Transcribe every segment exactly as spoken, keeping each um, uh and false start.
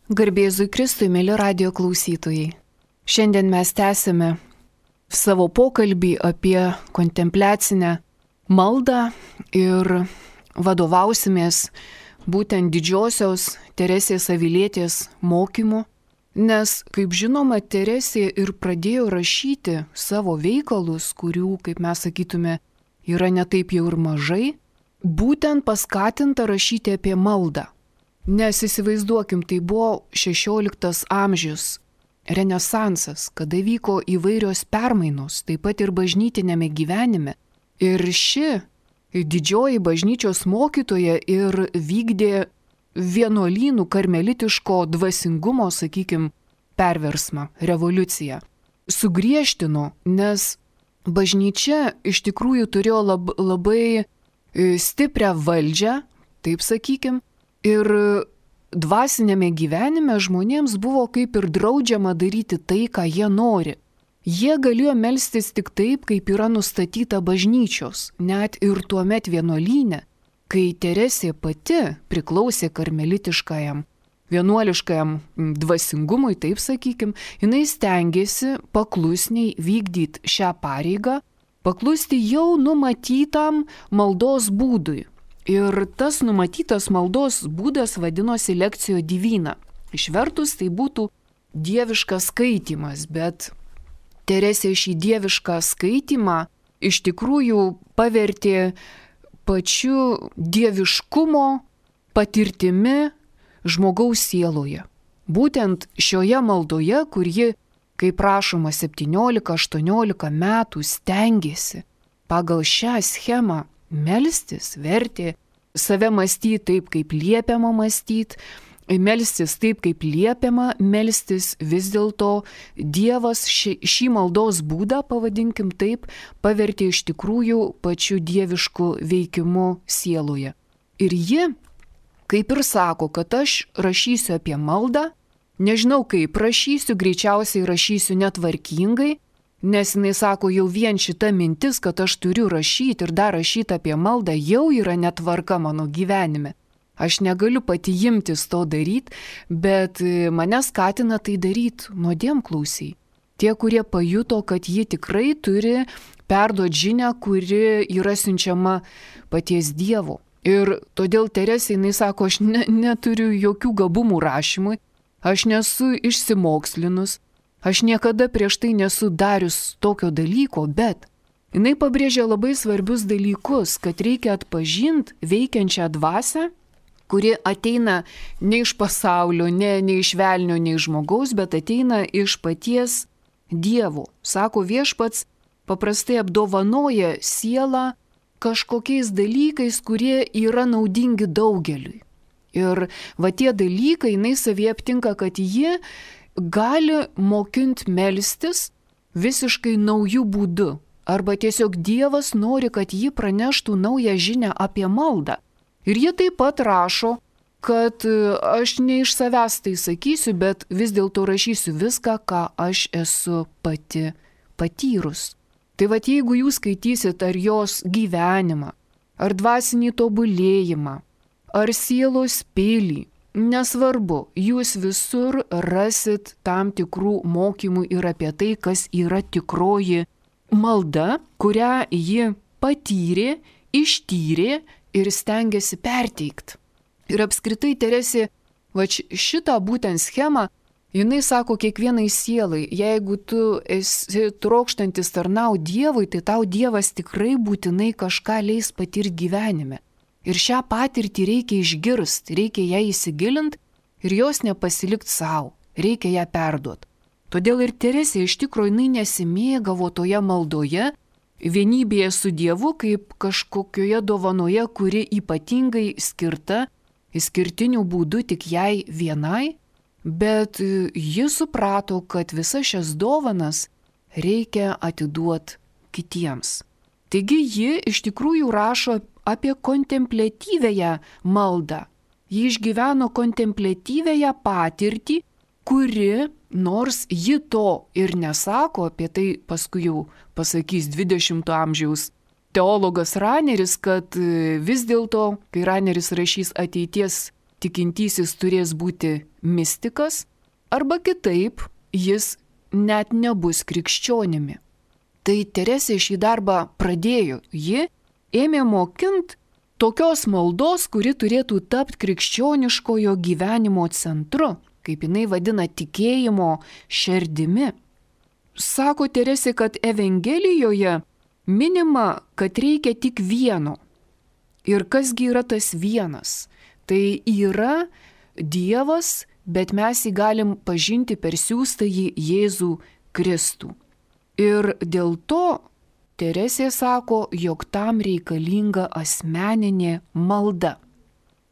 Garbėzui Kristui, mėly radijo klausytojai. Šiandien mes tęsime savo pokalbį apie kontempliacinę maldą ir vadovausimės būtent didžiosios Teresės Avilietės mokymu, nes, kaip žinoma, Teresė ir pradėjo rašyti savo veikalus, kurių, kaip mes sakytume, yra netaip jau ir mažai, būtent paskatinta rašyti apie maldą. Nes įsivaizduokim, tai buvo šešioliktas amžius, renesansas, kada vyko įvairios permainos, taip pat ir bažnytinėme gyvenime. Ir ši didžioji bažnyčios mokytoja ir vykdė vienuolynų karmelitiško dvasingumo, sakykim, perversmą, revoliuciją. Sugriežtino, nes bažnyčia iš tikrųjų turėjo lab, labai stiprią valdžią, taip sakykim, ir dvasinėme gyvenime žmonėms buvo kaip ir draudžiama daryti tai, ką jie nori. Jie galėjo melstis tik taip, kaip yra nustatyta bažnyčios, net ir tuomet vienuolyne, kai Teresė pati priklausė karmelitiškajam, vienuoliškajam dvasingumui, taip sakykim, jinai stengiasi paklusniai vykdyti šią pareigą, paklusti jau numatytam maldos būdui. Ir tas numatytas maldos būdas vadinosi lekcijo divina. Išvertus tai būtų dieviškas skaitymas, bet Teresė šį dievišką skaitymą iš tikrųjų pavertė pačiu dieviškumo patirtimi žmogaus sieloje. Būtent šioje maldoje, kur ji, kaip prašoma, septyniolika aštuoniolika metų stengėsi pagal šią schemą melstis, vertė save mąstyti taip, kaip liepiama mąstyti, melstis taip, kaip liepiama melstis, vis dėlto Dievas ši, šį maldos būdą, pavadinkim taip, pavertė iš tikrųjų pačiu dievišku veikimu sieloje. Ir ji, kaip ir sako, kad aš rašysiu apie maldą, nežinau kaip rašysiu, greičiausiai rašysiu netvarkingai, nes jinai sako, jau vien šita mintis, kad aš turiu rašyti ir dar rašyti apie maldą, jau yra netvarka mano gyvenime. Aš negaliu pati imtis to daryti, bet mane skatina tai daryti nuodėmklausiai. Tie, kurie pajuto, kad ji tikrai turi perduoti žinią, kuri yra siunčiama paties Dievo. Ir todėl Teresė, jinai sako, aš ne, neturiu jokių gabumų rašymui, aš nesu išsimokslinus, aš niekada prieš tai nesu darius tokio dalyko, bet jinai pabrėžia labai svarbius dalykus, kad reikia atpažinti veikiančią dvasią, kuri ateina ne iš pasaulio, ne, ne iš velnio, ne iš žmogaus, bet ateina iš paties Dievo. Sako, viešpats paprastai apdovanoja sielą kažkokiais dalykais, kurie yra naudingi daugeliui. Ir va tie dalykai, jinai savyje aptinka, kad ji gali mokinti melstis visiškai naujų būdų. Arba tiesiog Dievas nori, kad ji praneštų naują žinią apie maldą. Ir jie taip pat rašo, kad aš ne iš savęs tai sakysiu, bet vis dėlto rašysiu viską, ką aš esu pati patyrus. Tai va, jeigu jūs skaitysit ar jos gyvenimą, ar dvasinį tobulėjimą, ar sielos pilį, nesvarbu, jūs visur rasit tam tikrų mokymų ir apie tai, kas yra tikroji malda, kurią ji patyrė, ištyrė ir stengiasi perteikti. Ir apskritai Teresė, va šitą būtent schemą, jinai sako kiekvienai sielai, jeigu tu esi trokštantis tarnauti Dievui, tai tau Dievas tikrai būtinai kažką leis patirti gyvenime. Ir šią patirtį reikia išgirsti, reikia ją įsigilinti ir jos nepasilikti savo, reikia ją perduoti. Todėl ir Teresė iš tikrųjų jinai nesimėgavo toje maldoje, vienybėje su Dievu kaip kažkokioje dovanoje, kuri ypatingai skirta, išskirtiniu būdu tik jai vienai, bet ji suprato, kad visas šias dovanas reikia atiduoti kitiems. Taigi ji iš tikrųjų rašo apie kontempliatyvėją maldą. Ji išgyveno kontempliatyvėją patirtį, kuri, nors ji to ir nesako, apie tai paskui jau pasakys dvidešimto amžiaus teologas Raneris, kad vis dėlto, kai Raneris rašys ateities tikintysis turės būti mistikas, arba kitaip jis net nebus krikščionimi. Tai Teresė šį darbą pradėjo. Ji ėmė mokint tokios maldos, kuri turėtų tapti krikščioniškojo gyvenimo centru, kaip jinai vadina tikėjimo šerdimi. Sako Teresė, kad Evangelijoje minima, kad reikia tik vieno. Ir kasgi yra tas vienas? Tai yra Dievas, bet mes jį galim pažinti per siųstąjį Jėzų Kristų. Ir dėl to Teresė sako, jog tam reikalinga asmeninė malda.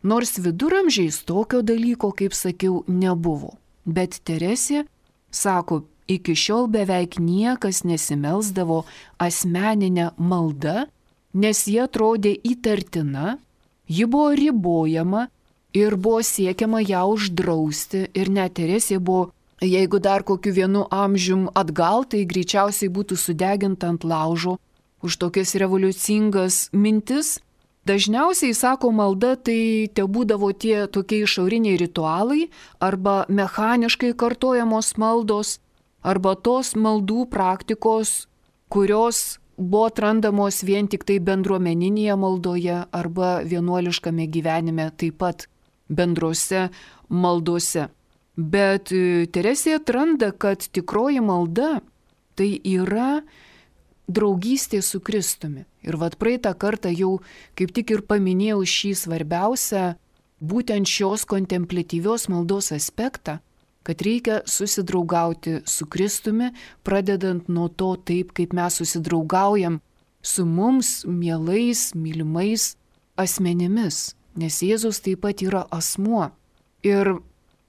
Nors viduramžiais tokio dalyko, kaip sakiau, nebuvo. Bet Teresė sako, iki šiol beveik niekas nesimelsdavo asmeninę maldą, nes jie atrodė įtartina, ji buvo ribojama ir buvo siekiama ją uždrausti. Ir net Teresė buvo, jeigu dar kokiu vienu amžium atgal, tai greičiausiai būtų sudeginta ant laužo už tokias revoliucingas mintis. Dažniausiai, sako, malda tai te būdavo tie tokie išoriniai ritualai arba mechaniškai kartojamos maldos arba tos maldų praktikos, kurios buvo atrandamos vien tik tai bendruomeninėje maldoje arba vienuoliškame gyvenime, taip pat bendrose maldose. Bet Teresė atranda, kad tikroji malda tai yra draugystė su Kristumi. Ir vat praeitą kartą jau kaip tik ir paminėjau šį svarbiausią, būtent šios kontempliatyvios maldos aspektą, kad reikia susidraugauti su Kristumi, pradedant nuo to taip, kaip mes susidraugaujam su mums mielais, mylimais asmenimis, nes Jėzus taip pat yra asmuo. Ir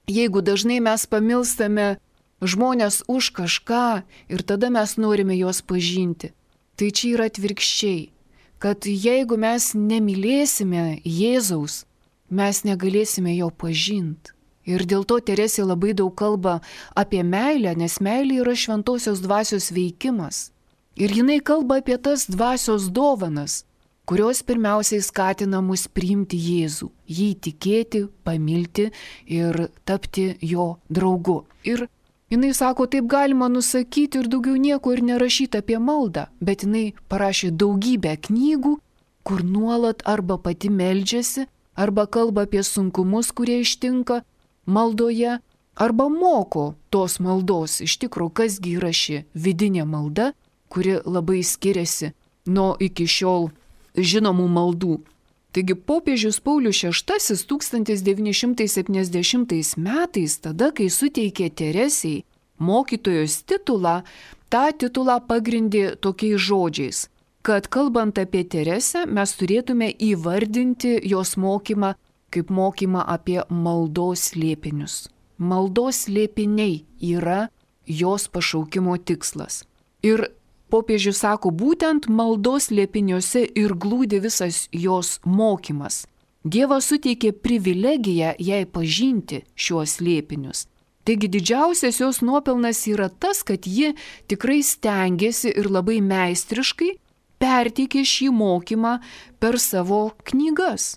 jeigu dažnai mes pamilstame žmonės už kažką ir tada mes norime juos pažinti, tai čia yra atvirkščiai, kad jeigu mes nemylėsime Jėzaus, mes negalėsime jo pažinti. Ir dėl to Teresė labai daug kalba apie meilę, nes meilė yra šventosios dvasios veikimas. Ir jinai kalba apie tas dvasios dovanas, kurios pirmiausiai skatina mus priimti Jėzų, jį tikėti, pamilti ir tapti jo draugu. Ir jinai sako, taip galima nusakyti ir daugiau nieko ir nerašyti apie maldą, bet jinai parašė daugybę knygų, kur nuolat arba pati meldžiasi, arba kalba apie sunkumus, kurie ištinka maldoje, arba moko tos maldos. Iš tikrųjų, kasgi yra ši vidinė malda, kuri labai skiriasi nuo iki šiol žinomų maldų. Taigi popiežius Paulius šeštasis tūkstantis devyni šimtai septyniasdešimtais metais, tada, kai suteikė Teresei mokytojos titulą, tą titulą pagrindė tokiais žodžiais, kad kalbant apie Teresę, mes turėtume įvardinti jos mokymą kaip mokymą apie maldos slėpinius. Maldos slėpiniai yra jos pašaukimo tikslas. Ir popiežius sako, būtent maldos slėpiniuose ir glūdi visas jos mokymas. Dievas suteikė privilegiją jai pažinti šiuos slėpinius. Taigi didžiausias jos nuopelnas yra tas, kad ji tikrai stengiasi ir labai meistriškai perteikė šį mokymą per savo knygas.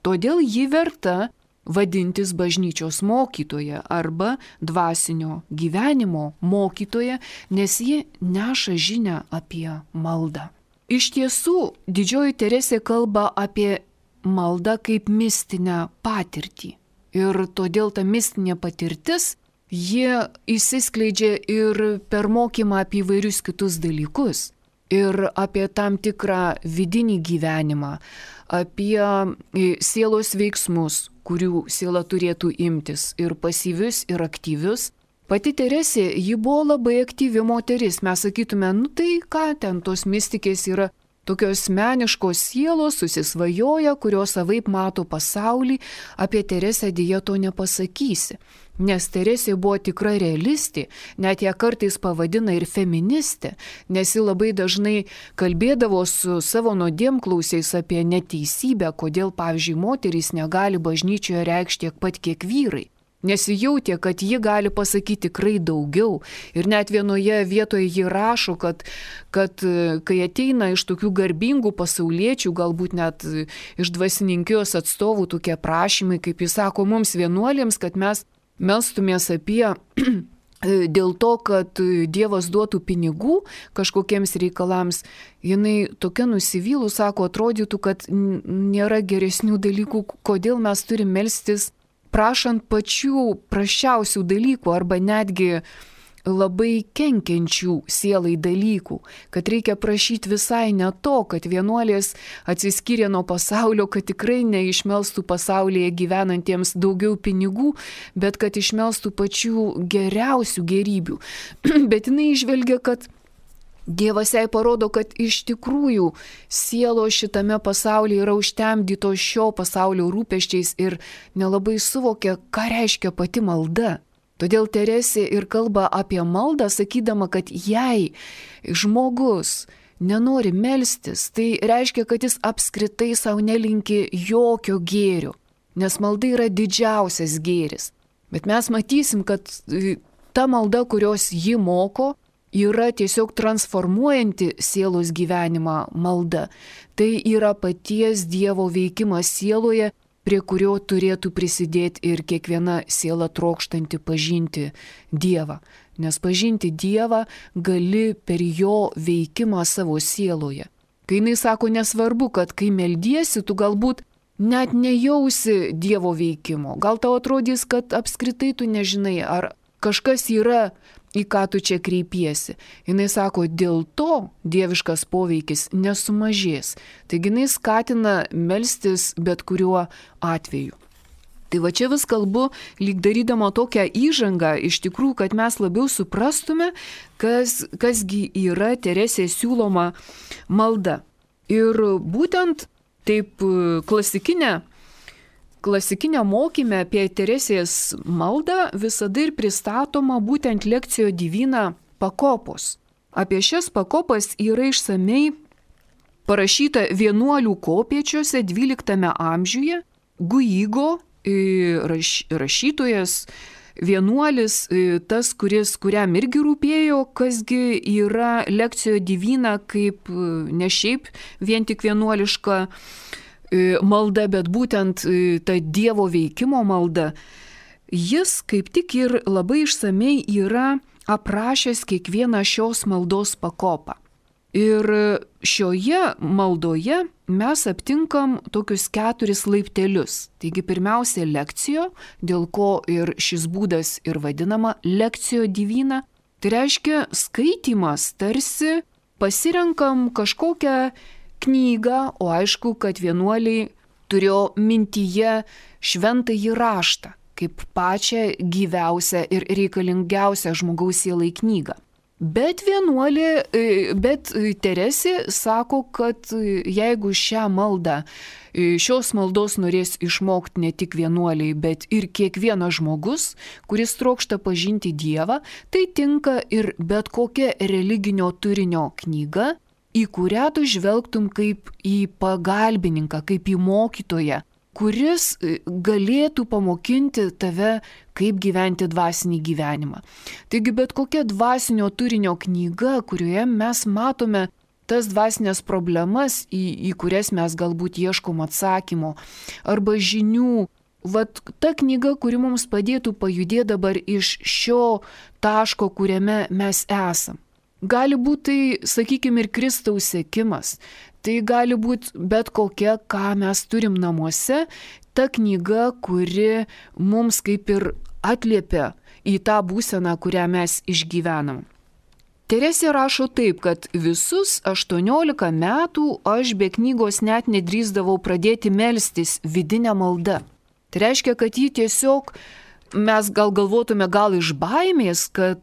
Todėl ji verta vadintis bažnyčios mokytoja arba dvasinio gyvenimo mokytoja, nes ji neša žinią apie maldą. Iš tiesų, didžioji Teresė kalba apie maldą kaip mistinę patirtį. Ir todėl ta mistinė patirtis, jie įsiskleidžia ir per mokymą apie įvairius kitus dalykus. Ir apie tam tikrą vidinį gyvenimą, apie sielos veiksmus, kurių siela turėtų imtis, ir pasyvius, ir aktyvius. Pati Teresė, ji buvo labai aktyvi moteris. Mes sakytume, nu tai ką ten tos mistikės yra tokios meniškos sielos, susisvajoja, kurios savaip mato pasaulį. Apie Teresę dėja to nepasakysi. Nes Teresė buvo tikra realistė, net ją kartais pavadina ir feministė, nes ji labai dažnai kalbėdavo su savo nuodėmklausiais apie neteisybę, kodėl, pavyzdžiui, moterys negali bažnyčioje reikšti tiek pat kiek vyrai. Nesijautė, kad ji gali pasakyti tikrai daugiau. Ir net vienoje vietoje ji rašo, kad, kad kai ateina iš tokių garbingų pasauliečių, galbūt net iš dvasininkijos atstovų tokie prašymai, kaip jis sako mums vienuolėms, kad mes melstumės apie dėl to, kad Dievas duotų pinigų kažkokiems reikalams, jinai tokia nusivylų, sako, atrodytų, kad nėra geresnių dalykų, kodėl mes turim melstis prašant pačių praščiausių dalykų arba netgi labai kenkiančių sielai dalykų, kad reikia prašyti visai ne to, kad vienuolės atsiskyrė nuo pasaulio, kad tikrai neišmelstų pasaulyje gyvenantiems daugiau pinigų, bet kad išmelstų pačių geriausių gerybių. Bet jinai išvelgia, kad Dievas jai parodo, kad iš tikrųjų sielos šitame pasaulyje yra užtemdyto šio pasaulio rūpesčiais ir nelabai suvokia, ką reiškia pati malda. Todėl Teresė ir kalba apie maldą, sakydama, kad jei žmogus nenori melstis, tai reiškia, kad jis apskritai savo nelinki jokio gėrio, nes malda yra didžiausias gėris. Bet mes matysim, kad ta malda, kurios ji moko, yra tiesiog transformuojanti sielos gyvenimą malda. Tai yra paties Dievo veikimas sieloje, prie kurio turėtų prisidėti ir kiekviena siela trokštanti pažinti Dievą. Nes pažinti Dievą gali per jo veikimą savo sieloje. Kai jinai sako, nesvarbu, kad kai meldiesi, tu galbūt net nejausi Dievo veikimo. Gal tau atrodys, kad apskritai tu nežinai, ar kažkas yra, į ką tu čia kreipiesi. Jinai sako, dėl to dieviškas poveikis nesumažės. Taigi jinai skatina melstis bet kuriuo atveju. Tai va čia vis kalbu, lyg darydama tokią įžangą, iš tikrųjų, kad mes labiau suprastume, kas, kasgi yra Teresės siūloma malda. Ir būtent taip klasikinė Klasikinė mokyme apie Teresės maldą visada ir pristatoma būtent Lectio Divina pakopos. Apie šias pakopas yra išsamei parašyta vienuolių kopiečiuose dvyliktame amžiuje. Guigo raš, rašytojas, vienuolis, tas, kuris, kuriam irgi rūpėjo, kasgi yra Lectio Divina kaip ne šiaip vien tik vienuoliška malda, bet būtent ta Dievo veikimo malda, jis kaip tik ir labai išsamei yra aprašęs kiekvieną šios maldos pakopą. Ir šioje maldoje mes aptinkam tokius keturis laiptelius. Taigi pirmiausia lekcijo, dėl ko ir šis būdas ir vadinama Lectio Divina. Tai reiškia skaitymas, tarsi pasirenkam kažkokią knygą, o aišku, kad vienuoliai turėjo mintyje šventąjį raštą, kaip pačią gyviausią ir reikalingiausią žmogaus sielai knygą. Bet vienuolė, bet Teresė sako, kad jeigu šią maldą, šios maldos norės išmokti ne tik vienuoliai, bet ir kiekvienas žmogus, kuris trokšta pažinti Dievą, tai tinka ir bet kokia religinio turinio knyga, į kurią tu žvelgtum kaip į pagalbininką, kaip į mokytoją, kuris galėtų pamokinti tave, kaip gyventi dvasinį gyvenimą. Taigi bet kokia dvasinio turinio knyga, kurioje mes matome tas dvasinės problemas, į, į kurias mes galbūt ieškom atsakymo, arba žinių, vat ta knyga, kuri mums padėtų pajudėti dabar iš šio taško, kuriame mes esam. Gali būti tai, sakykime, ir Kristaus sekimas. Tai gali būti bet kokia, ką mes turim namuose, ta knyga, kuri mums kaip ir atliepia į tą būseną, kurią mes išgyvenam. Teresė rašo taip, kad visus aštuoniolika metų aš be knygos net nedrįsdavau pradėti melstis vidinę maldą. Tai reiškia, kad ji tiesiog, mes gal galvotume gal iš baimės, kad,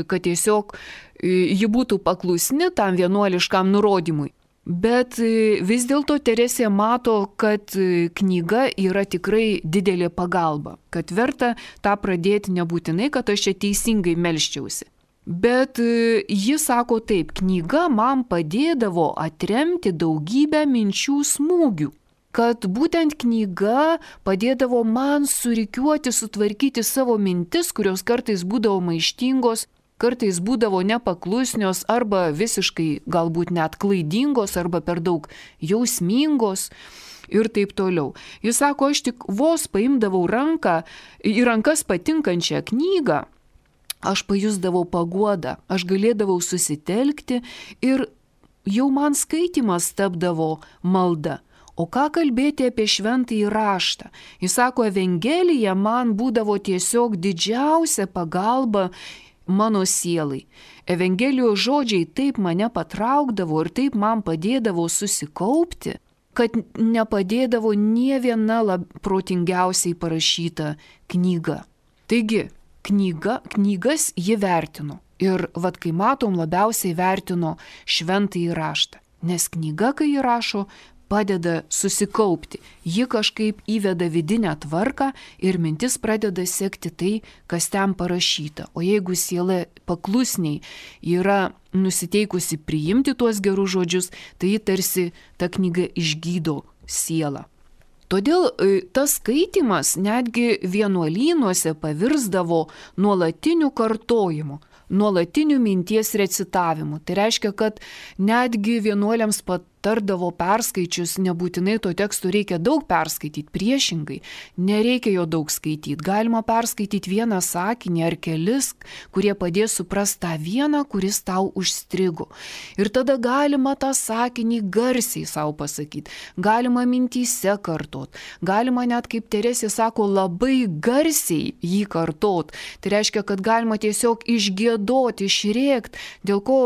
kad tiesiog ji būtų paklusni tam vienuoliškam nurodymui. Bet vis dėlto Teresė mato, kad knyga yra tikrai didelė pagalba, kad verta tą pradėti nebūtinai, kad aš čia teisingai melsčiausi. Bet ji sako taip, knyga man padėdavo atremti daugybę minčių smūgių, kad būtent knyga padėdavo man surikiuoti, sutvarkyti savo mintis, kurios kartais būdavo maištingos, kartais būdavo nepaklusnios arba visiškai galbūt net klaidingos arba per daug jausmingos. Ir taip toliau. Jis sako, aš tik vos paimdavau ranką, į rankas patinkančią knygą, aš pajusdavau paguodą, aš galėdavau susitelkti ir jau man skaitimas tapdavo malda. O ką kalbėti apie šventąjį raštą? Jis sako, Evangelija man būdavo tiesiog didžiausia pagalba mano sielai. Evangelijos žodžiai taip mane patraukdavo ir taip man padėdavo susikaupti, kad nepadėdavo nie viena lab, protingiausiai parašyta knyga. Taigi, knyga, knygas ji vertino. Ir vad kai matom, labiausiai vertino šventąjį raštą. Nes knyga, kai jį rašo, padeda susikaupti. Ji kažkaip įveda vidinę tvarką ir mintis pradeda sekti tai, kas ten parašyta. O jeigu siela paklusniai yra nusiteikusi priimti tuos gerus žodžius, tai ji tarsi ta knyga išgydo sielą. Todėl tas skaitimas netgi vienuolynuose pavirsdavo nuolatiniu kartojimu, nuolatiniu minties recitavimu. Tai reiškia, kad netgi vienuoliams patardavo perskaičius, nebūtinai to teksto reikia daug perskaityti, priešingai, nereikia jo daug skaityti. Galima perskaityti vieną sakinį ar kelis, kurie padės suprasti tą vieną, kuris tau užstrigo. Ir tada galima tą sakinį garsiai savo pasakyti, galima mintyse kartot, galima net, kaip Teresė sako, labai garsiai jį kartot. Tai reiškia, kad galima tiesiog išgiedoti, išrėkti, dėl ko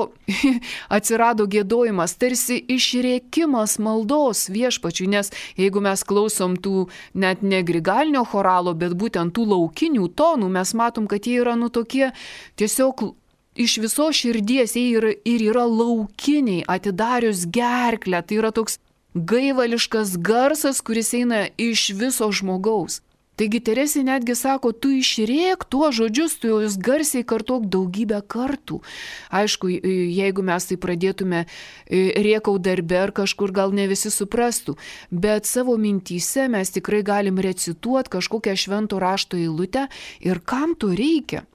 atsirado giedojimas, tarsi išrėkimas maldos viešpačiui, nes jeigu mes klausom tų net ne grigalinio choralo, bet būtent tų laukinių tonų, mes matom, kad jie yra nu tokie tiesiog iš viso širdies, jie yra, ir yra laukiniai, atidarius gerklę, tai yra toks gaivališkas garsas, kuris eina iš viso žmogaus. Taigi Teresė netgi sako, tu išrėk tuos žodžius, tu juos garsiai kartok daugybę kartų. Aišku, jeigu mes tai pradėtume rėkau darbe ar kažkur, gal ne visi suprastų, bet savo mintyse mes tikrai galim recituoti kažkokią švento rašto eilutę ir kam to reikia.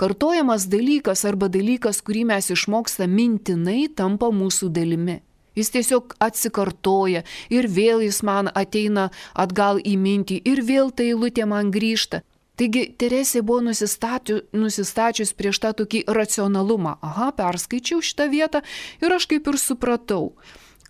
Kartojamas dalykas arba dalykas, kurį mes išmokstame mintinai, tampa mūsų dalimi. Jis tiesiog atsikartoja ir vėl jis man ateina atgal į mintį ir vėl ta eilutė man grįžta. Taigi Teresė buvo nusistačius prieš tą tokį racionalumą. Aha, perskaičiau šitą vietą ir aš kaip ir supratau,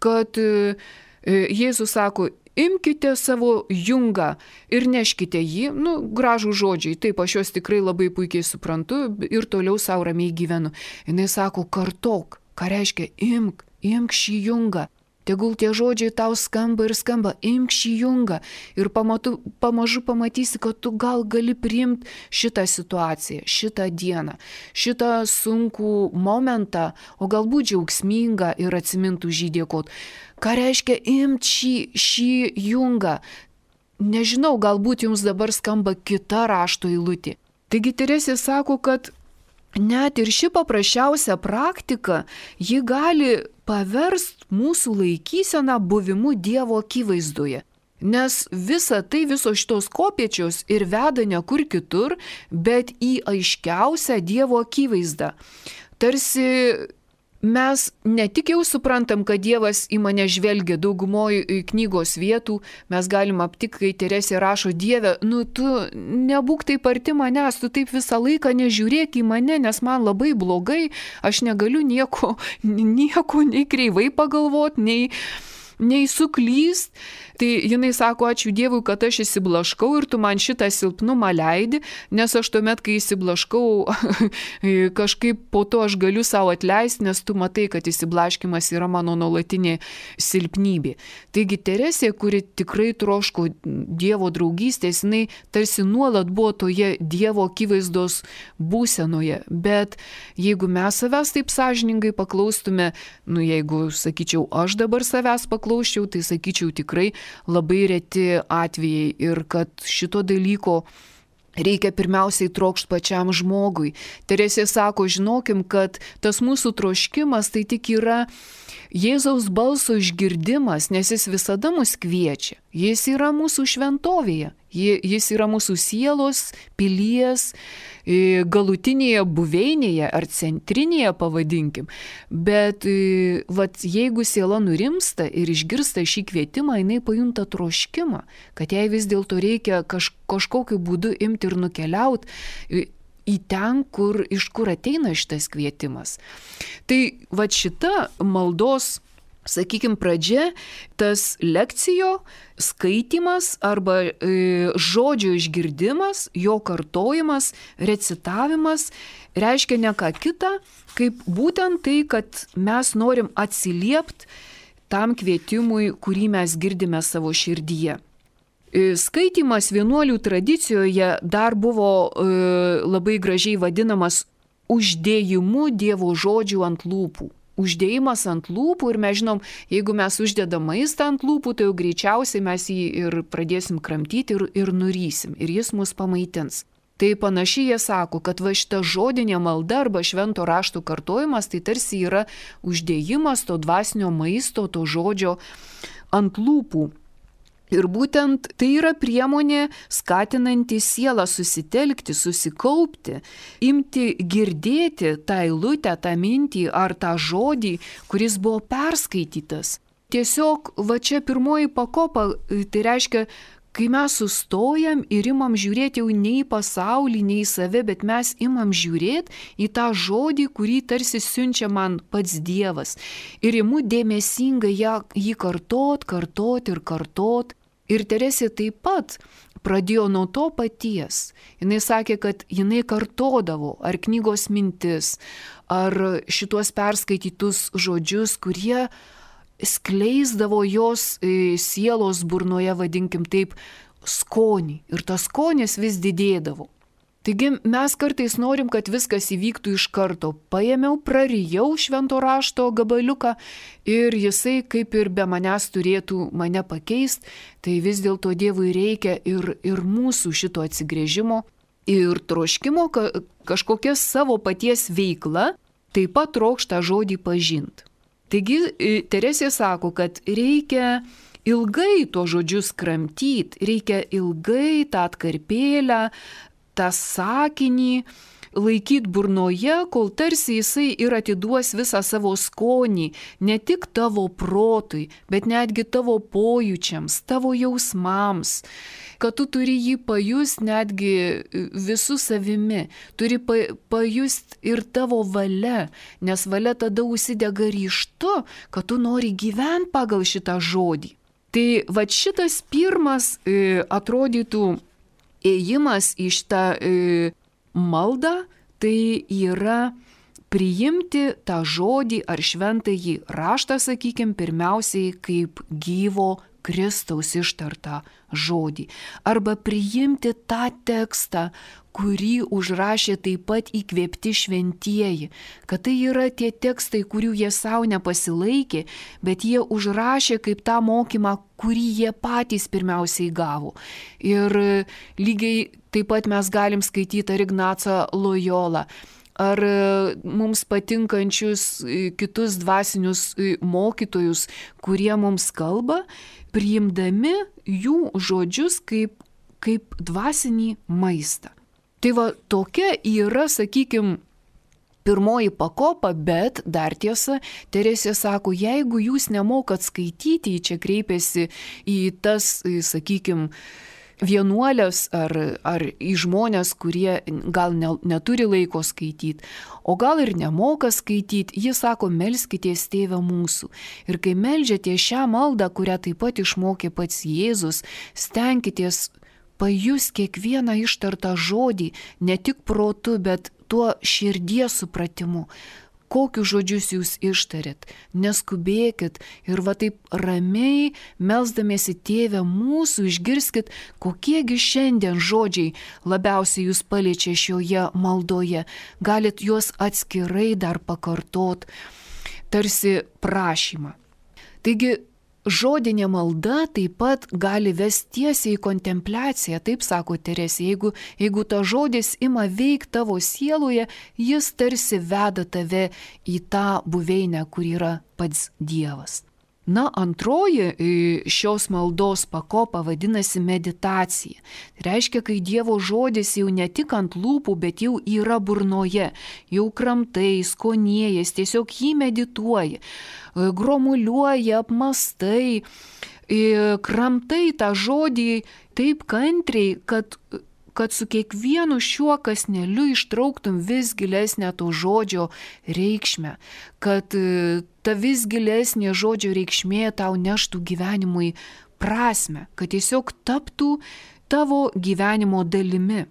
kad Jėzus sako, imkite savo jungą ir neškite jį, nu, gražų žodžiai, taip aš juos tikrai labai puikiai suprantu ir toliau savo ramiai gyvenu. Jis sako, kartok, ką reiškia imk. Imk šį jungą, tegul tie žodžiai tau skamba ir skamba, imk šį jungą ir pamatu, pamažu pamatysi, kad tu gal gali priimti šitą situaciją, šitą dieną, šitą sunkų momentą, o galbūt džiaugsmingą ir atsimintų žį dėkot. Ką reiškia imti šį, šį jungą? Nežinau, galbūt jums dabar skamba kita rašto eilutė. Taigi Teresė sako, kad net ir ši paprasčiausia praktika, ji gali paversti mūsų laikyseną buvimu Dievo akivaizdoje. Nes visa tai, visos šitos kopėčios ir veda ne kur kitur, bet į aiškiausią Dievo akivaizdą. Tarsi mes ne tik jau suprantam, kad Dievas į mane žvelgia daugumoje knygos vietų, mes galim aptikti, kai Teresė rašo, Dieve, nu tu nebūk taip arti manęs, tu taip visą laiką nežiūrėk į mane, nes man labai blogai, aš negaliu nieko, nieko nei kreivai pagalvoti, nei, nei suklyst. Tai jinai sako, ačiū Dievui, kad aš įsiblaškau ir tu man šitą silpnumą leidi, nes aš tuomet, kai įsiblaškau, kažkaip po to aš galiu savo atleisti, nes tu matai, kad įsiblaškimas yra mano nuolatinė silpnybė. Taigi Teresė, kuri tikrai troško Dievo draugystės, jinai tarsi nuolat buvo toje Dievo akivaizdos būsenoje, bet jeigu mes savęs taip sąžiningai paklaustume, nu jeigu, sakyčiau, aš dabar savęs paklausčiau, tai sakyčiau tikrai labai reti atvejai ir kad šito dalyko reikia pirmiausiai trokšti pačiam žmogui. Teresė sako, žinokim, kad tas mūsų troškimas tai tik yra Jėzaus balso išgirdimas, nes jis visada mus kviečia. Jis yra mūsų šventovėje, jis yra mūsų sielos, pilies, galutinėje buveinėje ar centrinėje, pavadinkim. Bet vat, jeigu siela nurimsta ir išgirsta šį kvietimą, jinai pajunta troškimą, kad jai vis dėlto reikia kaž, kažkokiu būdu imti ir nukeliauti į ten, kur, iš kur ateina šitas kvietimas. Tai va šita maldos, sakykime, pradžia, tas lekcijo skaitimas arba e, žodžio išgirdimas, jo kartojimas, recitavimas, reiškia ne ką kitą, kaip būtent tai, kad mes norim atsiliepti tam kvietimui, kurį mes girdime savo širdyje. Skaitimas vienuolių tradicijoje dar buvo e, labai gražiai vadinamas uždėjimu Dievo žodžių ant lūpų. Uždėjimas ant lūpų ir mes žinom, jeigu mes uždedam maistą ant lūpų, tai jau greičiausiai mes jį ir pradėsim kramtyti ir, ir nurysim ir jis mus pamaitins. Tai panašiai jie sako, kad va šita žodinė malda arba švento rašto kartojimas tai tarsi yra uždėjimas to dvasinio maisto, to žodžio ant lūpų. Ir būtent tai yra priemonė skatinanti sielą susitelkti, susikaupti, imti girdėti tą eilutę, tą mintį ar tą žodį, kuris buvo perskaitytas. Tiesiog va čia pirmoji pakopa, tai reiškia, kai mes sustojam ir imam žiūrėti jau ne į pasaulį, ne į save, bet mes imam žiūrėti į tą žodį, kurį tarsi siunčia man pats Dievas. Ir imu dėmesingai jį kartot, kartot ir kartot. Ir Teresė taip pat pradėjo nuo to paties. Jinai sakė, kad jinai kartodavo ar knygos mintis, ar šituos perskaitytus žodžius, kurie skleisdavo jos sielos burnoje, vadinkim taip, skonį. Ir tas skonis vis didėdavo. Taigi mes kartais norim, kad viskas įvyktų iš karto. Paėmiau, prarijau švento rašto gabaliuką ir jisai kaip ir be manęs turėtų mane pakeisti. Tai vis dėlto Dievui reikia ir, ir mūsų šito atsigrėžimo ir troškimo, ka, kažkokia savo paties veikla, taip pat trokšta žodį pažinti. Taigi Teresė sako, kad reikia ilgai to žodžius kramtyti, reikia ilgai tą atkarpėlę, tą sakinį laikyti burnoje, kol tarsi jisai ir atiduos visą savo skonį, ne tik tavo protui, bet netgi tavo pojūčiams, tavo jausmams, kad tu turi jį pajust netgi visų savimi, turi pajust ir tavo valia, nes valia tada užsidega ryžtu, kad tu nori gyventi pagal šitą žodį. Tai va šitas pirmas e, atrodytų ėjimas į šitą e, maldą, tai yra priimti tą žodį ar šventąjį raštą, sakykime, pirmiausiai kaip gyvo Kristaus ištartą žodį. Arba priimti tą tekstą, kurį užrašė taip pat įkvėpti šventieji, kad tai yra tie tekstai, kurių jie savo nepasilaikė, bet jie užrašė kaip tą mokymą, kurį jie patys pirmiausiai gavo. Ir lygiai taip pat mes galim skaityti ar Ignacą Lojolą, ar mums patinkančius kitus dvasinius mokytojus, kurie mums kalba, priimdami jų žodžius kaip, kaip dvasinį maistą. Tai va tokia yra, sakykime, pirmoji pakopa, bet dar tiesa, Teresė sako, jeigu jūs nemokat skaityti, čia kreipiasi į tas, sakykime, vienuolės ar, ar į žmonės, kurie gal ne, neturi laiko skaityti, o gal ir nemoka skaityti, jis sako, melskitės Tėve mūsų. Ir kai meldžiatės šią maldą, kurią taip pat išmokė pats Jėzus, stenkitės pajus kiekvieną ištartą žodį, ne tik protu, bet tuo širdies supratimu. Kokius žodžius jūs ištarėt, neskubėkit ir va taip ramiai, melsdamiesi Tėve mūsų, išgirskit, kokiegi šiandien žodžiai labiausiai jūs paliečia šioje maldoje. Galit juos atskirai dar pakartot, tarsi prašymą. Taigi žodinė malda taip pat gali vesti tiesiai į kontempliaciją, taip sako Teresė. Jeigu, jeigu ta žodis ima veikti tavo sieloje, jis tarsi veda tave į tą buveinę, kur yra pats Dievas. Na, antroji šios maldos pakopa vadinasi meditacija. Tai reiškia, kai Dievo žodis jau ne tik ant lūpų, bet jau yra burnoje, jau kramtai, skonėjas, tiesiog jį medituoji, gromuliuoji, apmastai, kramtai tą žodį taip kantriai, kad kad su kiekvienu šiuo kąsneliu ištrauktum vis gilesnę to žodžio reikšmę, kad ta vis gilesnė žodžio reikšmė tau neštų gyvenimui prasmę, kad tiesiog taptų tavo gyvenimo dalimi.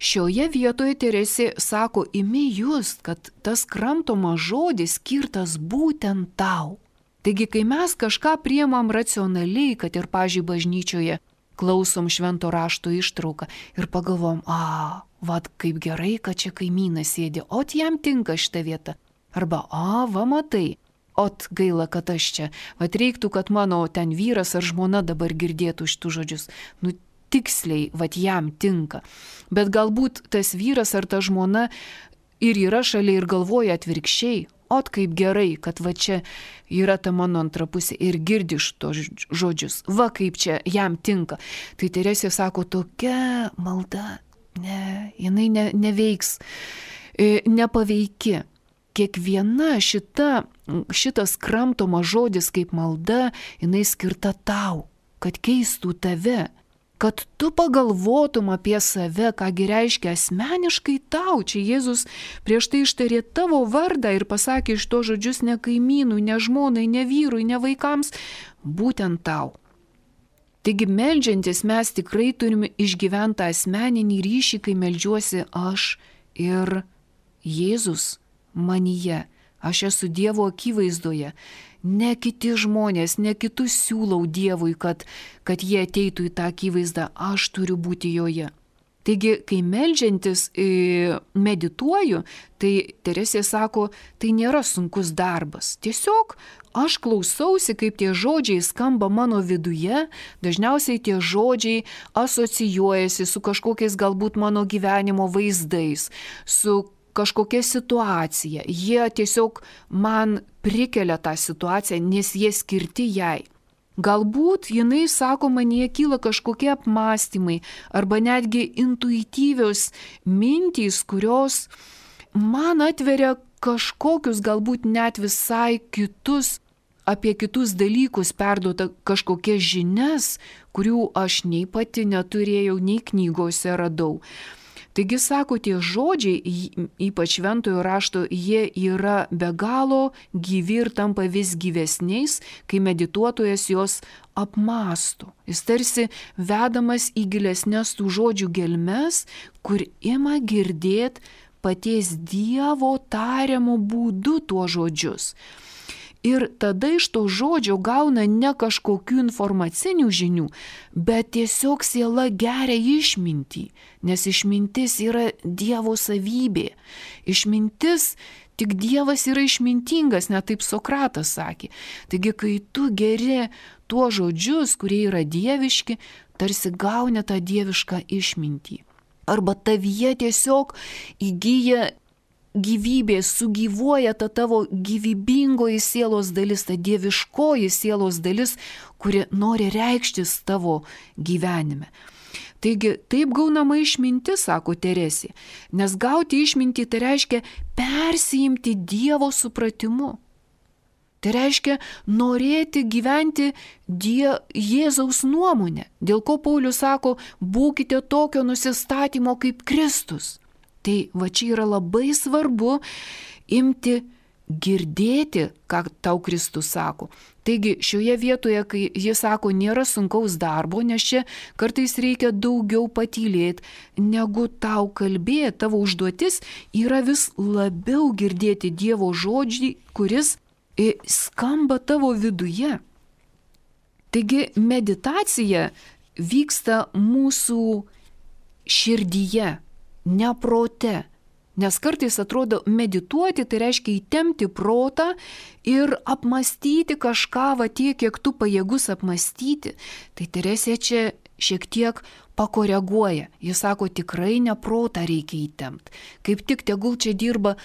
Šioje vietoje Teresė sako, imi just, kad tas kramtomas žodis skirtas būtent tau. Taigi, kai mes kažką priimam racionaliai, kad ir, pavyzdžiui, bažnyčioje, klausom švento rašto ištrauką ir pagalvom, a, vad kaip gerai, kad čia kaimynas sėdi, ot jam tinka šitą vietą. Arba, a, va matai, ot gaila, kad aš čia, vad reiktų, kad mano ten vyras ar žmona dabar girdėtų šitų žodžius. Nu, tiksliai, vad jam tinka. Bet galbūt tas vyras ar ta žmona ir yra šalia ir galvoja atvirkščiai. Ot kaip gerai, kad va čia yra ta mano antra pusė ir girdi šitos žodžius. Va kaip čia jam tinka. Tai Teresė sako, tokia malda, ne, jinai ne, neveiks, e, nepaveiki. Kiekviena šita, šitas kramtomas žodis kaip malda, jinai skirta tau, kad keistų tave. Kad tu pagalvotum apie save, kągi reiškia asmeniškai tau. Čia Jėzus prieš tai ištarė tavo vardą ir pasakė iš to žodžius ne kaimynui, ne žmonai, ne vyrui, ne vaikams, būtent tau. Taigi meldžiantis mes tikrai turime išgyventą asmeninį ryšį, kai meldžiuosi aš ir Jėzus manyje. Aš esu Dievo akivaizdoje. Ne kiti žmonės, ne kitus siūlau Dievui, kad, kad jie ateitų į tą akivaizdą, aš turiu būti joje. Taigi, kai meldžiantis medituoju, tai Teresė sako, tai nėra sunkus darbas. Tiesiog aš klausausi, kaip tie žodžiai skamba mano viduje, dažniausiai tie žodžiai asocijuojasi su kažkokiais galbūt mano gyvenimo vaizdais, su kažkokia situacija. Jie tiesiog man prikelia tą situaciją, nes jie skirti jai. Galbūt jinai, sako, manyje kyla kažkokie apmąstymai arba netgi intuityvios mintys, kurios man atveria kažkokius galbūt net visai kitus, apie kitus dalykus perduota kažkokias žinias, kurių aš nei pati neturėjau, nei knygose radau. Taigi, sako, tie žodžiai, ypač šventojo rašto, jie yra be galo gyvi ir tampa vis gyvesniais, kai medituotojas jos apmąsto. Jis tarsi vedamas į gilesnes tų žodžių gelmes, kur ima girdėti paties Dievo tariamo būdu tuos žodžius. Ir tada iš to žodžio gauna ne kažkokių informacinių žinių, bet tiesiog siela geria išmintį, nes išmintis yra Dievo savybė. Išmintis, tik Dievas yra išmintingas, net taip Sokratas sakė. Taigi, kai tu geri tuos žodžius, kurie yra dieviški, tarsi gauni tą dievišką išmintį. Arba tavyje tiesiog įgyja gyvybė, sugyvuoja ta tavo gyvybingoji sielos dalis, ta dieviškoji sielos dalis, kuri nori reikštis tavo gyvenime. Taigi, taip gaunama išmintis, sako Teresė, nes gauti išmintį tai reiškia persijimti Dievo supratimu. Tai reiškia norėti gyventi Die, Jėzaus nuomonę, dėl ko Paulius sako, būkite tokio nusistatymo kaip Kristus. Tai va čia yra labai svarbu imti girdėti, ką tau Kristus sako. Taigi šioje vietoje, kai jis sako, nėra sunkaus darbo, nes čia kartais reikia daugiau patylėti, negu tau kalbėti. Tavo užduotis yra vis labiau girdėti Dievo žodžį, kuris skamba tavo viduje. Taigi meditacija vyksta mūsų širdyje, ne prote, Nes kartais atrodo medituoti, tai reiškia įtempti protą ir apmastyti kažką, va tiek, kiek tu pajėgus apmastyti. Tai Teresė čia šiek tiek pakoreguoja. Jis sako, tikrai ne protą reikia įtempti. Kaip tik tegul čia dirba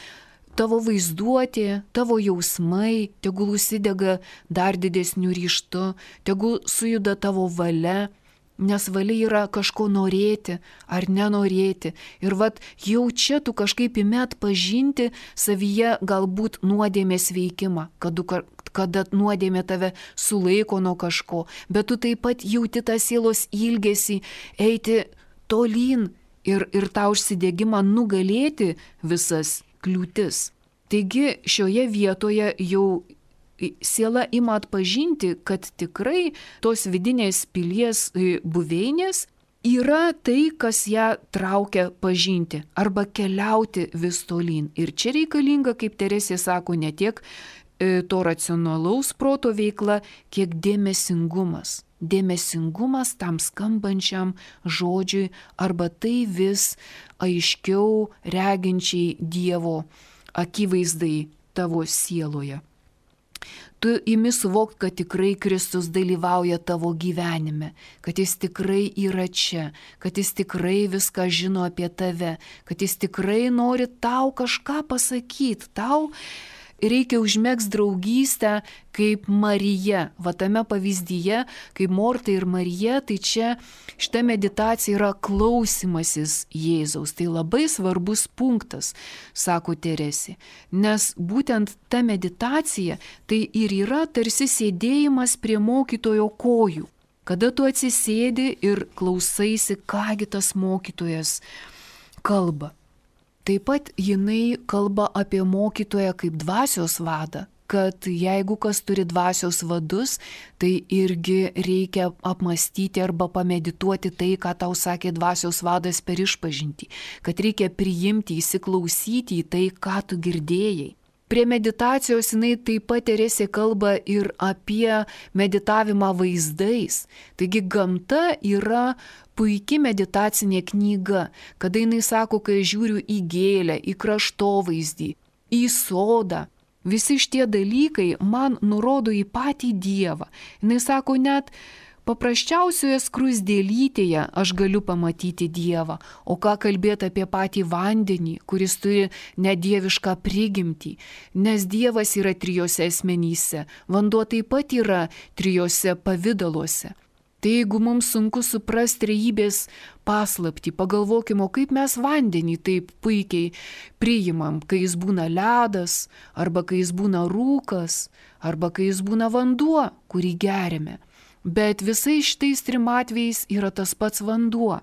tavo vaizduotė, tavo jausmai, tegul užsidega dar didesnių ryžtų, tegul sujuda tavo valia. Nes valia yra kažko norėti ar nenorėti. Ir vat jau čia tu kažkaip imi atpažinti savyje galbūt nuodėmės veikimą, kad tu, kada nuodėmė tave sulaiko nuo kažko, bet tu taip pat jauti tą sielos ilgesį eiti tolyn ir, ir tą užsidegimą nugalėti visas kliūtis. Taigi šioje vietoje jau siela ima atpažinti, kad tikrai tos vidinės pilies buveinės yra tai, kas ją traukia pažinti arba keliauti vis tolyn. Ir čia reikalinga, kaip Teresė sako, ne tiek to racionalaus proto veikla, kiek dėmesingumas. Dėmesingumas tam skambančiam žodžiui arba tai vis aiškiau reginčiai Dievo akivaizdai tavo sieloje. Tu imi suvokti, kad tikrai Kristus dalyvauja tavo gyvenime, kad jis tikrai yra čia, kad jis tikrai viską žino apie tave, kad jis tikrai nori tau kažką pasakyti, tau reikia užmegzti draugystę kaip Marija. Va tame pavyzdyje, kaip Morta ir Marija, tai čia šita meditacija yra klausimasis Jėzaus. Tai labai svarbus punktas, sako Teresė. Nes būtent ta meditacija tai ir yra tarsi sėdėjimas prie mokytojo kojų. Kada tu atsisėdi ir klausaisi, kągi tas mokytojas kalba. Taip pat jinai kalba apie mokytoją kaip dvasios vadą, kad jeigu kas turi dvasios vadus, tai irgi reikia apmastyti arba pamedituoti tai, ką tau sakė dvasios vadas per išpažintį, kad reikia priimti, įsiklausyti į tai, ką tu girdėjai. Prie meditacijos jinai taip pat Teresė kalba ir apie meditavimą vaizdais. Taigi gamta yra puikia meditacinė knyga, kada jinai sako, kai žiūriu į gėlę, į kraštovaizdį, į sodą. Visi šitie dalykai man nurodo į patį Dievą. Jinai sako, net paprasčiausioje skruzdėlytėje aš galiu pamatyti Dievą, o ką kalbėti apie patį vandenį, kuris turi nedievišką prigimtį, nes Dievas yra trijose asmenyse, vanduo taip pat yra trijose pavidaluose. Tai jeigu mums sunku suprasti trejybės paslaptį, pagalvokime, kaip mes vandenį taip puikiai priimam, kai jis būna ledas, arba kai jis būna rūkas, arba kai jis būna vanduo, kurį geriame. Bet visais šitais trim atvejais yra tas pats vanduo.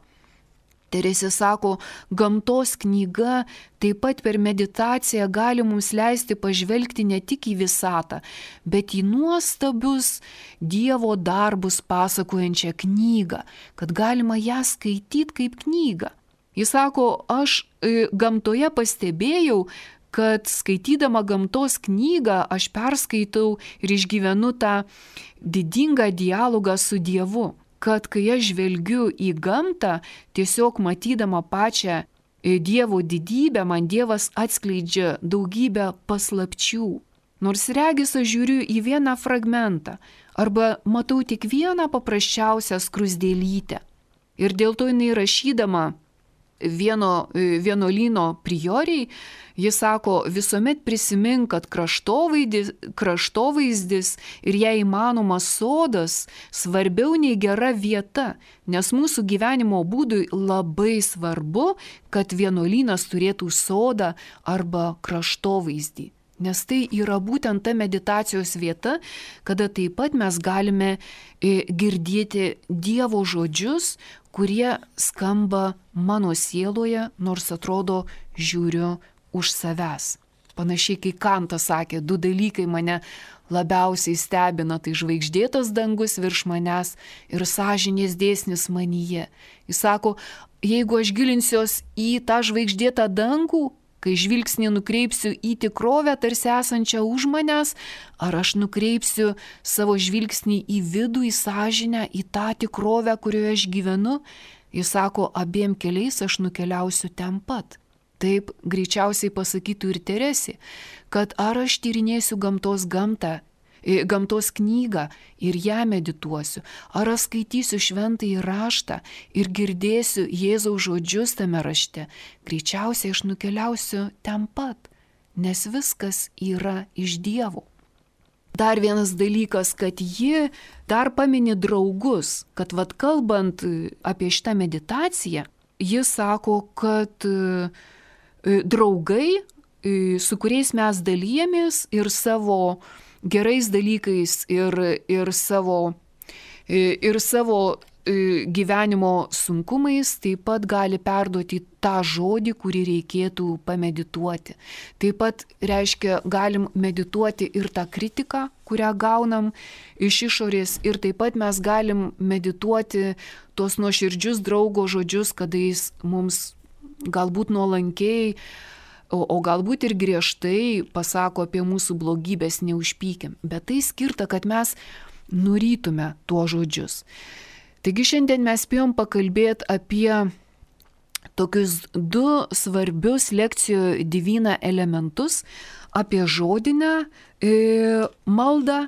Teresė sako, gamtos knyga taip pat per meditaciją gali mums leisti pažvelgti ne tik į visatą, bet į nuostabius Dievo darbus pasakojančią knygą, kad galima ją skaityti kaip knygą. Jis sako, aš gamtoje pastebėjau, kad skaitydama gamtos knygą aš perskaitau ir išgyvenu tą didingą dialogą su Dievu, kad kai aš žvelgiu į gamtą, tiesiog matydama pačią Dievo didybę, man Dievas atskleidžia daugybę paslapčių. Nors regis aš žiūriu į vieną fragmentą arba matau tik vieną paprasčiausią skruzdėlytę. Ir dėl to jinai rašydama vieno vienuolyno prioriai, jis sako, visuomet prisimink, kad kraštovaizdis, kraštovaizdis ir jei įmanomas sodas svarbiau nei gera vieta, nes mūsų gyvenimo būdui labai svarbu, kad vienuolynas turėtų sodą arba kraštovaizdį. Nes tai yra būtent ta meditacijos vieta, kada taip pat mes galime girdėti Dievo žodžius, kurie skamba mano sieloje, nors atrodo žiūriu už savęs. Panašiai, kai Kantas sakė, du dalykai mane labiausiai stebina, tai žvaigždėtas dangus virš manęs ir sąžinės dėsnis manyje. Jis sako, jeigu aš gilinsiuos į tą žvaigždėtą dangų, kai žvilgsnį nukreipsiu į tikrovę tarsi esančią už manęs, ar aš nukreipsiu savo žvilgsnį į vidų, į sąžinę, į tą tikrovę, kurioje aš gyvenu, jis sako, abiem keliais aš nukeliausiu ten pat. Taip greičiausiai pasakytų ir Teresė, kad ar aš tyrinėsiu gamtos gamtą, gamtos knygą ir ją medituosiu, ar aš skaitysiu šventąjį raštą ir girdėsiu Jėzaus žodžius tame rašte, greičiausiai aš nukeliausiu ten pat, nes viskas yra iš Dievo. Dar vienas dalykas, kad ji dar pamini draugus, kad vat kalbant apie šitą meditaciją, ji sako, kad draugai, su kuriais mes dalyjamės ir savo gerais dalykais ir, ir, savo, ir savo gyvenimo sunkumais taip pat gali perduoti tą žodį, kurį reikėtų pamedituoti. Taip pat reiškia, galim medituoti ir tą kritiką, kurią gaunam iš išorės, ir taip pat mes galim medituoti tuos nuoširdžius draugo žodžius, kada jis mums galbūt nuolankiai, O, o galbūt ir griežtai pasako apie mūsų blogybės, neužpykim. Bet tai skirta, kad mes nurytume tuo žodžius. Taigi šiandien mes spėjom pakalbėti apie tokius du svarbius lekcijo divina elementus, apie žodinę e, maldą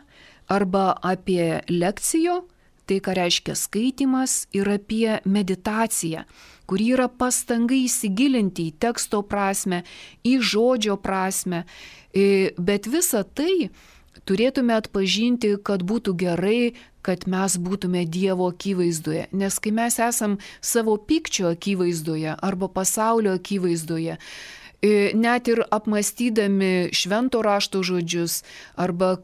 arba apie lekcijo, tai ką reiškia skaitymas, ir apie meditaciją, kuri yra pastanga įsigilinti į teksto prasme, į žodžio prasme, bet visą tai turėtume atpažinti, kad būtų gerai, kad mes būtume Dievo akivaizdoje, nes kai mes esam savo pykčio akivaizdoje arba pasaulio akivaizdoje, net ir apmastydami švento rašto žodžius arba,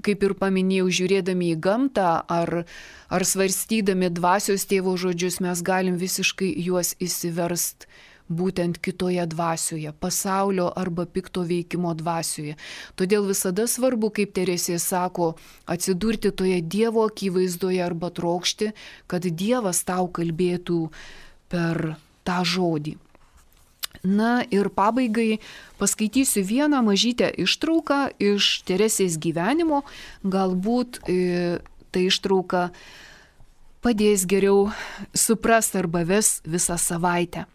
kaip ir paminėjau, žiūrėdami į gamtą ar, ar svarstydami dvasios tėvo žodžius, mes galim visiškai juos įsiverst būtent kitoje dvasioje, pasaulio arba pikto veikimo dvasioje. Todėl visada svarbu, kaip Teresė sako, atsidurti toje Dievo akivaizdoje arba trokšti, kad Dievas tau kalbėtų per tą žodį. Na ir pabaigai paskaitysiu vieną mažytę ištrauką iš Teresės gyvenimo, galbūt e, ta ištrauka padės geriau suprasti arba ves visą savaitę.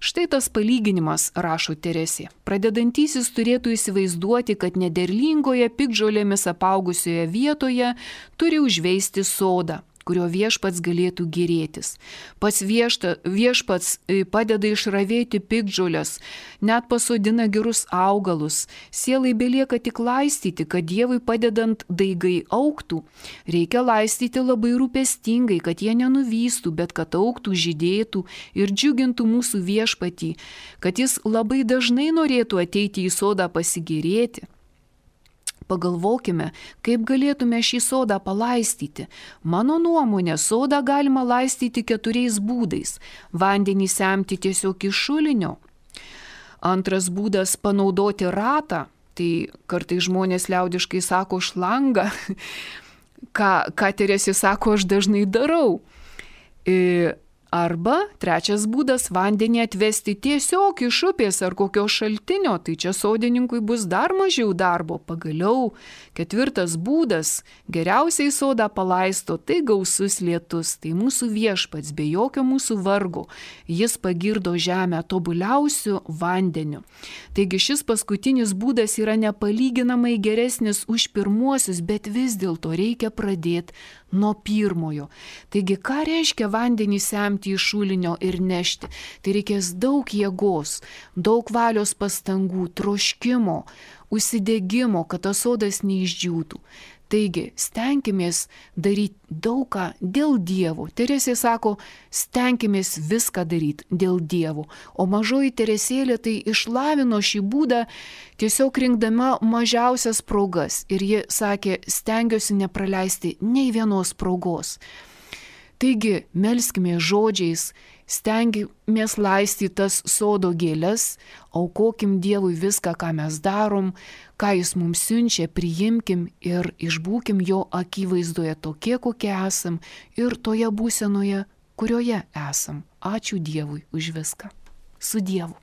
Štai tas palyginimas, rašo Teresė. Pradedantysis turėtų įsivaizduoti, kad nederlingoje piktžolėmis apaugusioje vietoje turi užveisti sodą, kurio viešpats galėtų gėrėtis. Pats viešta, viešpats padeda išravėti piktžolės, net pasodina gerus augalus. Sielai belieka tik laistyti, kad Dievui padedant daigai augtų. Reikia laistyti labai rūpestingai, kad jie nenuvystų, bet kad augtų, žydėtų ir džiugintų mūsų viešpatį, kad jis labai dažnai norėtų ateiti į sodą pasigėrėti. Pagalvokime, kaip galėtume šį sodą palaistyti. Mano nuomonė, sodą galima laistyti keturiais būdais. Vandenį semti tiesiog iš šulinio. Antras būdas - panaudoti ratą. Tai kartais žmonės liaudiškai sako šlangą. Ką, ką Teresė sako, aš dažnai darau. E, Arba trečias būdas - vandenį atvesti tiesiog iš upės ar kokio šaltinio, tai čia sodininkui bus dar mažiau darbo. Pagaliau ketvirtas būdas - geriausiai sodą palaisto, tai gausus lietus, tai mūsų viešpats be jokio mūsų vargo. Jis pagirdo žemę tobuliausiu vandeniu. Taigi šis paskutinis būdas yra nepalyginamai geresnis už pirmuosius, bet vis dėlto reikia pradėti nuo pirmojo. Taigi ką reiškia vandenį semti iš šulinio ir nešti? Tai reikės daug jėgos, daug valios pastangų, troškimo, užsidegimo, kad tas sodas neišdžiūtų. Taigi, stenkimės daryti daug ką dėl Dievo. Teresė sako, stenkimės viską daryti dėl Dievo. O mažoji Teresėlė tai išlavino šį būdą tiesiog rinkdama mažiausias progas. Ir ji sakė, stengiuosi nepraleisti nei vienos progos. Taigi, melskime žodžiais, stengimės laistyti tas sodo gėles, aukokim Dievui viską, ką mes darom, ką Jis mums siunčia, priimkim ir išbūkim Jo akivaizdoje tokie, kokie esam ir toje būsenoje, kurioje esam. Ačiū Dievui už viską. Su Dievu.